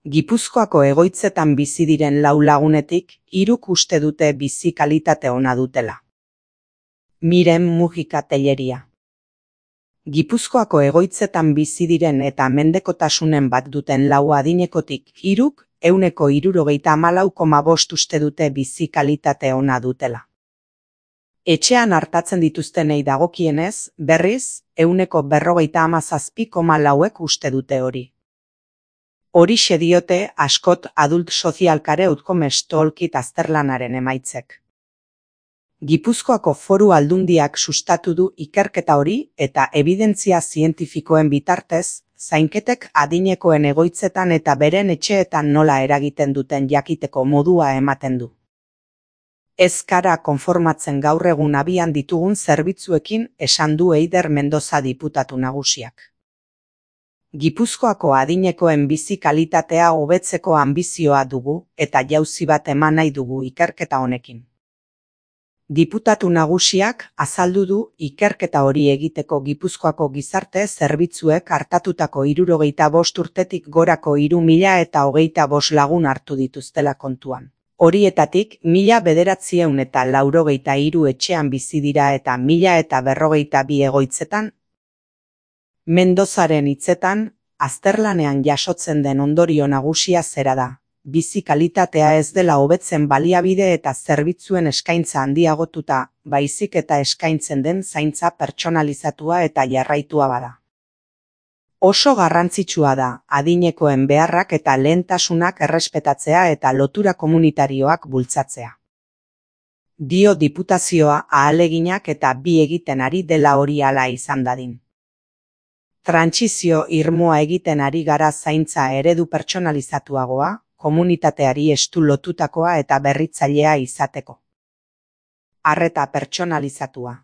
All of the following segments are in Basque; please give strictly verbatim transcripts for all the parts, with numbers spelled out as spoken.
Gipuzkoako egoitzetan bizi diren lau lagunetik, hiruk uste dute bizi kalitate ona dutela. Miren Mujika Telleria. Gipuzkoako egoitzetan bizi diren eta mendekotasunen bat duten lau adinekotik, hiruk, ehuneko hirurogeita hamalau koma bost uste dute bizi kalitate ona dutela. Etxean artatzen dituztenei dagokienez, berriz, ehuneko berrogeita hamazazpi koma lauek uste dute hori. Horixe diote askot Adult Social Care Outcome Toolkit azterlanaren emaitzek. Gipuzkoako Foru Aldundiak sustatu du ikerketa hori eta ebidentzia zientifikoen bitartez, zainketek adinekoen egoitzetan eta beren etxeetan nola eragiten duten jakiteko modua ematen du. Ez gara konformatzen gaur egun abian ditugun zerbitzuekin, esan du Eider Mendoza diputatu nagusiak. Gipuzkoako adinekoen bizi kalitatea hobetzeko anbizioa dugu eta jauzi bat eman nahi dugu ikerketa honekin. Diputatu nagusiak azaldu du ikerketa hori egiteko Gipuzkoako gizarte zerbitzuek hartatutako hirurogeita bost urtetik gorako hiru mila eta hogeita bost lagun hartu dituztela kontuan. Horietatik mila bederatziehun eta laurogeita hiru etxean bizi dira eta mila eta berrogeita bi egoitzetan. Mendozaren hitzetan, azterlanean jasotzen den ondorio nagusia zera da. Bizi kalitatea ez dela hobetzen baliabide eta zerbitzuen eskaintza handiagotuta, baizik eta eskaintzen den zaintza pertsonalizatua eta jarraitua bada. Oso garrantzitsua da, adinekoen beharrak eta lehentasunak errespetatzea eta lotura komunitarioak bultzatzea. Dio diputazioa ahaleginak eta bi egiten ari dela hori hala izan dadin. Trantsizio irmoa egiten ari gara zaintza eredu pertsonalizatuagoa, komunitateari estu lotutakoa eta berritzailea izateko. Arreta pertsonalizatua.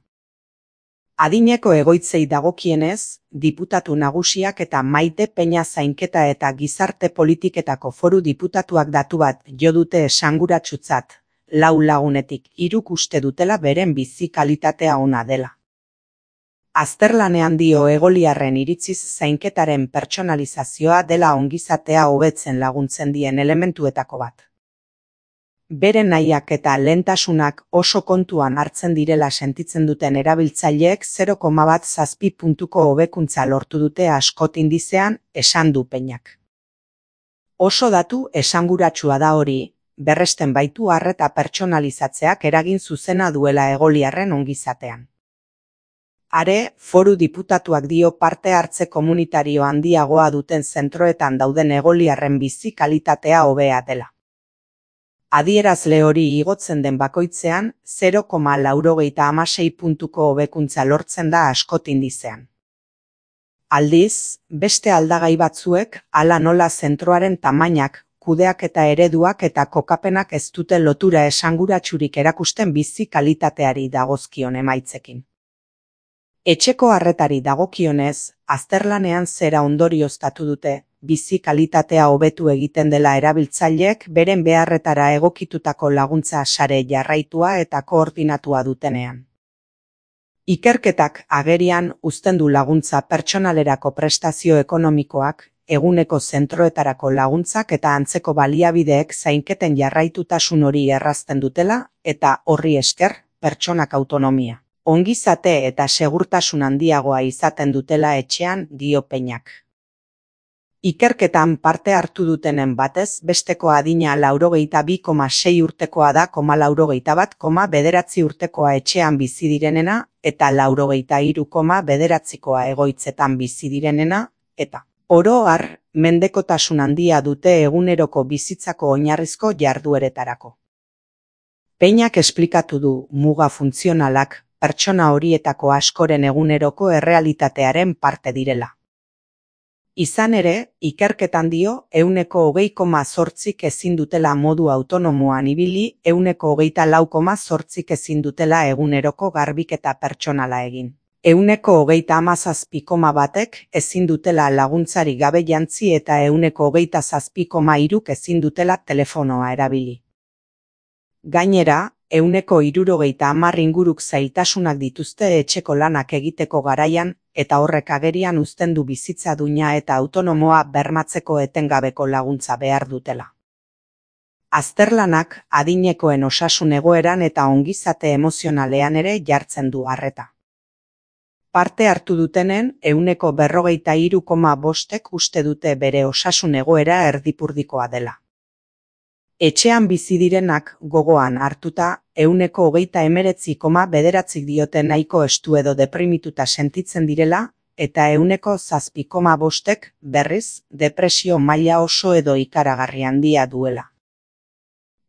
Adineko egoitzei dagokienez, diputatu nagusiak eta Maite Peña zainketa eta gizarte politiketako foru diputatuak datu bat jo dute esanguratsutzat, lau lagunetik hiruk uste dutela beren bizi kalitatea ona dela. Azterlanean dio egoliarren iritziz zainketaren pertsonalizazioa dela ongizatea hobetzen laguntzen dien elementuetako bat. Beren nahiak eta lehentasunak oso kontuan hartzen direla sentitzen duten erabiltzaileek zero koma bat zazpi puntuko hobekuntza lortu dute askot indizean, esan du Peñak. Oso datu esanguratsua da hori, berresten baitu arreta pertsonalizatzeak eragin zuzena duela egoliarren ongizatean. Are, foru diputatuak dio parte hartze komunitario handiagoa duten zentroetan dauden egoliarren bizi kalitatea hobea dela. Adierazle hori igotzen den bakoitzean, zero koma laurogeita hamasei puntuko hobekuntza lortzen da askot indizean. Aldiz, beste aldagai batzuek, hala nola zentroaren tamainak, kudeaketa ereduak eta kokapenak ez dute lotura esanguratsurik erakusten bizi kalitateari dagozkion emaitzekin. Etxeko arretari dagokionez, azterlanean zera ondorioztatu dute, bizi kalitatea hobetu egiten dela erabiltzaileek beren beharretara egokitutako laguntza sare jarraitua eta koordinatua dutenean. Ikerketak agerian uzten du laguntza pertsonalerako prestazio ekonomikoak, eguneko zentroetarako laguntzak eta antzeko baliabideek zainketen jarraitutasun hori errazten dutela eta horri esker, pertsonak autonomia, ongizate eta segurtasun handiagoa izaten dutela etxean, dio Peñak. Ikerketan parte hartu dutenen batez besteko adina laurogeita bi koma sei urtekoa da koma laurogeita bat koma bederatzi urtekoa etxean bizi direnena eta laurogeita hiru koma bederatzikoa egoitzetan bizi direnena eta oro har mendekotasun handia dute eguneroko bizitzako oinarrizko jardueretarako. Peñak esplikatu du muga funtzionalak pertsona horietako askoren eguneroko errealitatearen parte direla. Izan ere, ikerketan dio, ehuneko hogei koma zortzik ezin dutela modu autonomoan ibili, ehuneko hogeita lau koma zortzik ezin dutela eguneroko garbiketa pertsonala egin. Ehuneko hogeita hamazazpi koma batek ezin dutela laguntzari gabe jantzi eta ehuneko hogeita zazpi koma hiruk ezin dutela telefonoa erabili. Gainera, ehuneko hirurogeita hamar inguruk zailtasunak dituzte etxeko lanak egiteko garaian, eta horrek agerian uzten du bizitza duina eta autonomoa bermatzeko etengabeko laguntza behar dutela. Azterlanak adinekoen osasun egoeran eta ongizate emozionalean ere jartzen du arreta. Parte hartu dutenen ehuneko berrogeita hiru koma bostek uste dute bere osasun egoera erdipurdikoa dela. Etxean bizi direnak gogoan hartuta, ehuneko hogeita hemeretzi koma bederatzik diote nahiko estu edo deprimituta sentitzen direla, eta ehuneko zazpi koma bostek, berriz, depresio maila oso edo ikaragarri handia duela.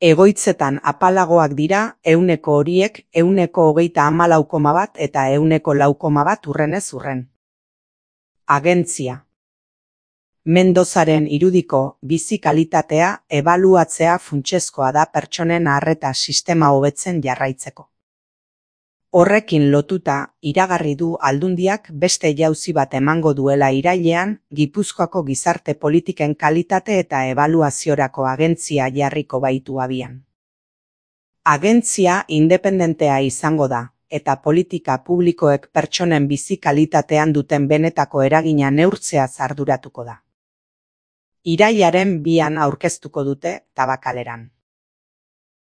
Egoitzetan apalagoak dira, ehuneko horiek, ehuneko hogeita hamalau koma bat eta ehuneko lau koma bat urrenez urren. Agentzia. Mendozaren irudiko bizi kalitatea ebaluatzea funtsezkoa da pertsonen arreta sistema hobetzen jarraitzeko. Horrekin lotuta, iragarri du Aldundiak beste jauzi bat emango duela irailean, Gipuzkoako gizarte politiken kalitate eta ebaluaziorako agentzia jarriko baitu abian. Agentzia independentea izango da, eta politika publikoek pertsonen bizi kalitatean duten benetako eragina neurtzeaz arduratuko da. Irailaren bian aurkeztuko dute Tabakaleran.